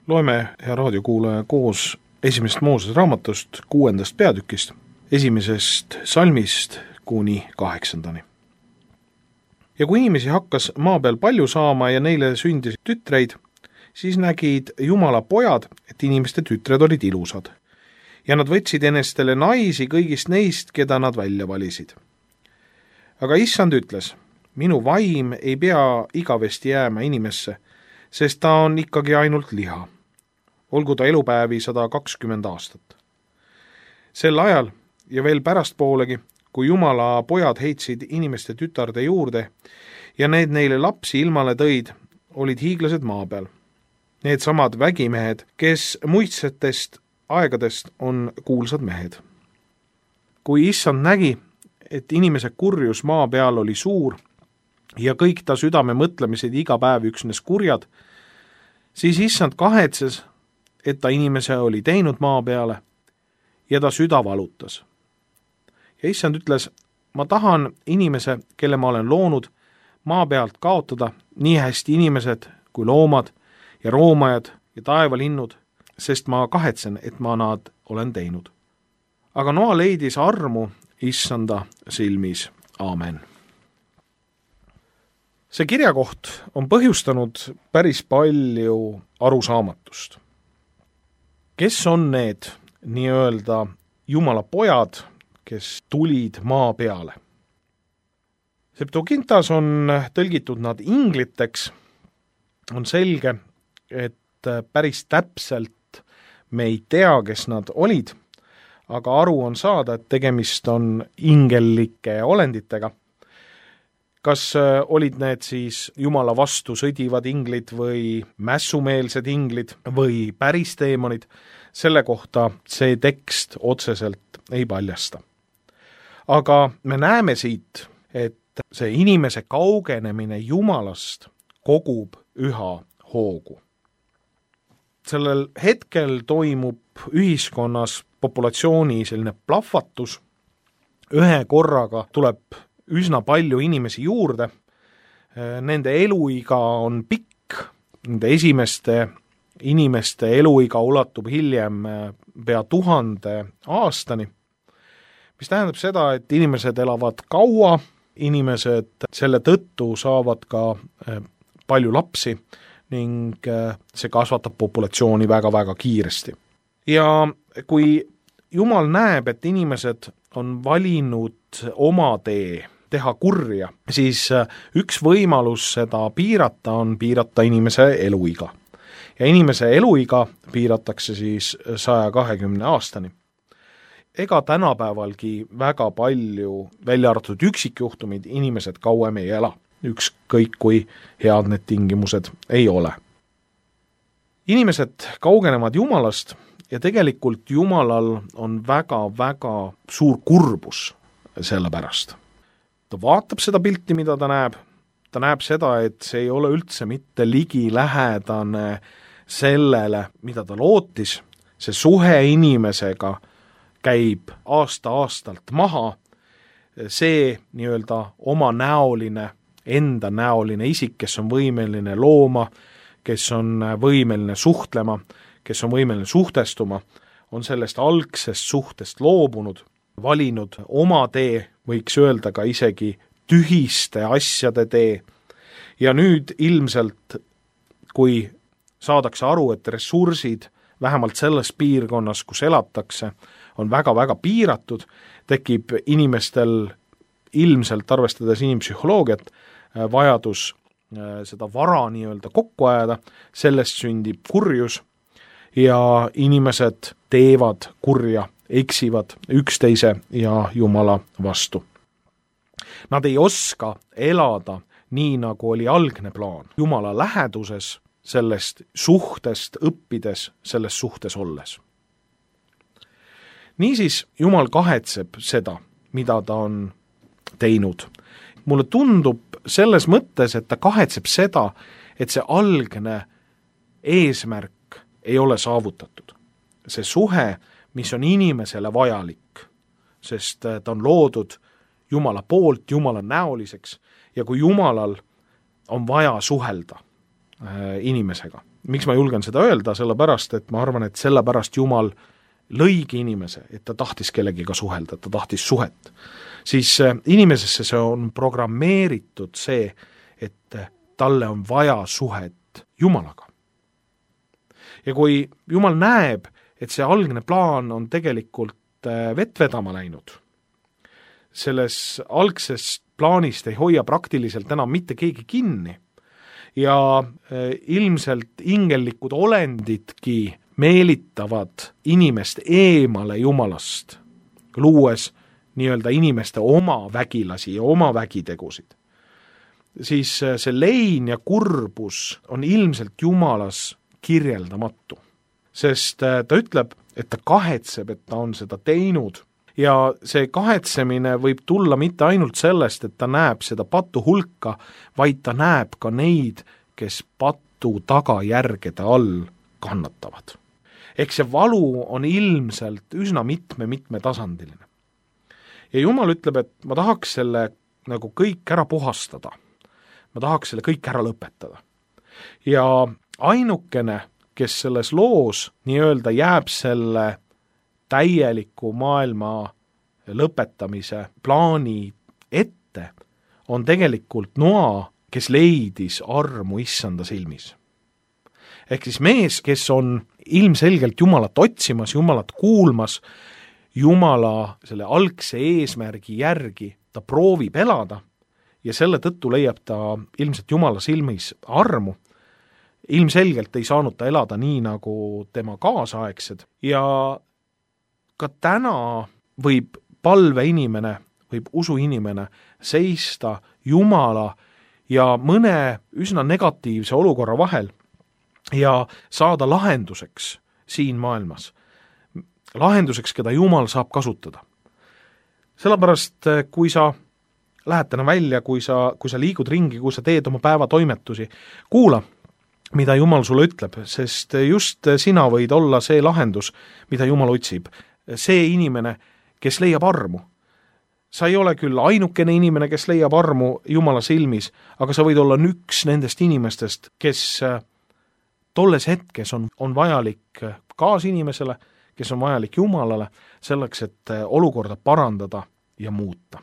Loeme, hea raadiokuulaja, koos esimesest Moosese raamatust 6. peatükist, 1. salmist kuni 8. Ja kui inimesi hakkas maa peal palju saama ja neile sündis tütreid, siis nägid Jumala pojad, et inimeste tütred olid ilusad. Ja nad võtsid enestele naisi kõigist neist, keda nad välja valisid. Aga issand ütles, minu vaim ei pea igavesti jääma inimesse, sest ta on ikkagi ainult liha. Olgu ta elupäevi 120 aastat. Sel ajal ja veel pärastpoolegi, kui Jumala pojad heitsid inimeste tütarde juurde ja need neile lapsi ilmale tõid, olid hiiglased maa peal. Need samad vägimehed, kes muistsetest aegadest on kuulsad mehed. Kui issand nägi, et inimese kurjus maa peal oli suur ja kõik ta südame mõtlemised iga päev üksnes kurjad, siis issand kahetses, et ta inimese oli teinud maa peale ja ta süda valutas. Ja issand ütles, ma tahan inimese, kelle ma olen loonud, maa pealt kaotada nii hästi inimesed kui loomad ja roomajad ja taevalinnud, sest ma kahetsen, et ma nad olen teinud. Aga Noa leidis armu issanda silmis. Aamen. See kirjakoht on põhjustanud päris palju arusaamatust. Kes on need nii-öelda Jumala pojad, kes tulid maa peale? Septuagintas on tõlgitud nad ingliteks. On selge, et päris täpselt me ei tea, kes nad olid, aga aru on saada, et tegemist on ingellike olenditega. Kas olid need siis Jumala vastu sõdivad inglid või mässumeelsed inglid või päris teemonid, selle kohta see tekst otseselt ei paljasta. Aga me näeme siit, et see inimese kaugenemine Jumalast kogub üha hoogu. Sellel hetkel toimub ühiskonnas populatsiooni selline plahvatus, ühe korraga tuleb üsna palju inimesi juurde, nende eluiga on pikk, nende esimeste inimeste eluiga ulatub hiljem pea 1000 aastani, mis tähendab seda, et inimesed elavad kaua, inimesed selle tõttu saavad ka palju lapsi ning see kasvatab populatsiooni väga-väga kiiresti. Ja kui Jumal näeb, et inimesed on valinud oma tee, teha kurja, siis üks võimalus seda piirata on piirata inimese eluiga. Ja inimese eluiga piiratakse siis 120 aastani. Ega tänapäevalgi väga palju, välja arvatud üksikjuhtumid, inimesed kauem ei ela, ükskõik kui head need tingimused ei ole. Inimesed kaugenevad Jumalast ja tegelikult Jumalal on väga-väga suur kurbus selle pärast. Ta vaatab seda pilti, mida ta näeb seda, et see ei ole üldse mitte ligilähedane sellele, mida ta lootis, see suhe inimesega käib aasta-aastalt maha, see nii-öelda oma näoline, enda näoline isik, kes on võimeline looma, kes on võimeline suhtlema, kes on võimeline suhtestuma, on sellest algsest suhtest loobunud, valinud oma tee, võiks öelda ka isegi tühiste asjade tee. Ja nüüd ilmselt, kui saadakse aru, et ressursid vähemalt selles piirkonnas, kus elatakse, on väga-väga piiratud, tekib inimestel ilmselt, arvestades inimpsühholoogiat, vajadus seda vara nii-öelda kokku ajada, sellest sündib kurjus ja inimesed teevad kurja, eksivad üksteise ja Jumala vastu. Nad ei oska elada nii, nagu oli algne plaan. Jumala läheduses, sellest suhtest õppides, selles suhtes olles. Niisiis Jumal kahetseb seda, mida ta on teinud. Mulle tundub selles mõttes, et ta kahetseb seda, et see algne eesmärk ei ole saavutatud. See suhe, mis on inimesele vajalik, sest ta on loodud Jumala poolt, Jumala näoliseks ja kui Jumalal on vaja suhelda, inimesega. Miks ma julgen seda öelda? Sellepärast, et ma arvan, et sellepärast Jumal lõigi inimese, et ta tahtis kellegiga suhelda, ta tahtis suhet. Siis inimesesse see on programmeeritud see, et talle on vaja suhet Jumalaga. Ja kui Jumal näeb, et see algne plaan on tegelikult vett vedama läinud, selles algses plaanist ei hoia praktiliselt enam mitte keegi kinni ja ilmselt ingellikud olendidki meelitavad inimest eemale Jumalast, luues nii-öelda inimeste oma vägilasi ja oma vägitegusid, siis see lein ja kurbus on ilmselt Jumalas kirjeldamatu. Sest ta ütleb, et ta kahetseb, et ta on seda teinud ja see kahetsemine võib tulla mitte ainult sellest, et ta näeb seda patu hulka, vaid ta näeb ka neid, kes patu tagajärgede all kannatavad. Ehk see valu on ilmselt üsna mitme tasandiline. Ja Jumal ütleb, et ma tahaks selle nagu kõik ära puhastada. Ma tahaks selle kõik ära lõpetada. Ja ainukene, kes selles loos nii-öelda jääb selle täieliku maailma lõpetamise plaani ette, on tegelikult Noa, kes leidis armu issanda silmis. Ehk siis mees, kes on ilmselgelt Jumalat otsimas, Jumalat kuulmas, Jumala selle algse eesmärgi järgi, ta proovib elada ja selle tõttu leiab ta ilmselt Jumala silmis armu. Ilmselgelt ei saanud ta elada nii, nagu tema kaasaegsed ja ka täna võib palveinimene, võib usuinimene seista Jumala ja mõne üsna negatiivse olukorra vahel ja saada lahenduseks siin maailmas. Lahenduseks, keda Jumal saab kasutada. Sellepärast, kui sa lähed täna välja, kui sa liigud ringi, kui sa teed oma päeva toimetusi, kuula, mida Jumal sulle ütleb, sest just sina võid olla see lahendus, mida Jumal otsib. See inimene, kes leiab armu. Sa ei ole küll ainukene inimene, kes leiab armu Jumala silmis, aga sa võid olla üks nendest inimestest, kes tolles hetkes on vajalik kaasinimesele, kes on vajalik Jumalale, selleks, et olukorda parandada ja muuta.